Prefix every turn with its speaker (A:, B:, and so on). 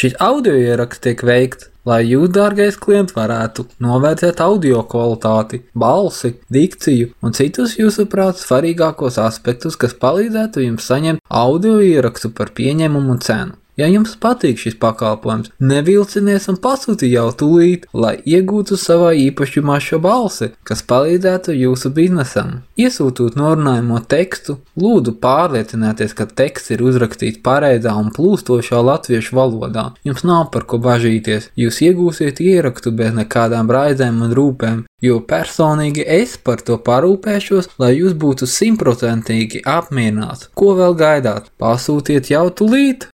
A: Šis audio ieraksts tiek veikts, lai jūs, dārgais klients, varētu novērtēt audio kvalitāti, balsi, dikciju un citus jūsuprāt svarīgākos aspektus, kas palīdzētu jums saņemt audio ierakstu par pieņemumu cenu. Ja jums patīk šis pakalpojums, nevilcinies un pasūti jau tūlīt, lai iegūtu savā īpašumā šo balsi, kas palīdzētu jūsu biznesam. Iesūtot norunājumu tekstu, lūdzu pārliecinieties, ka teksts ir uzrakstīts pareizā un plūstošā latviešu valodā. Jums nav par ko bažīties, jūs iegūsiet ierakstu bez nekādām raizēm un rūpēm, jo personīgi es par to parūpēšos, lai jūs būtu 100% apmierināts. Ko vēl gaidāt? Pasūtiet jau tūlīt!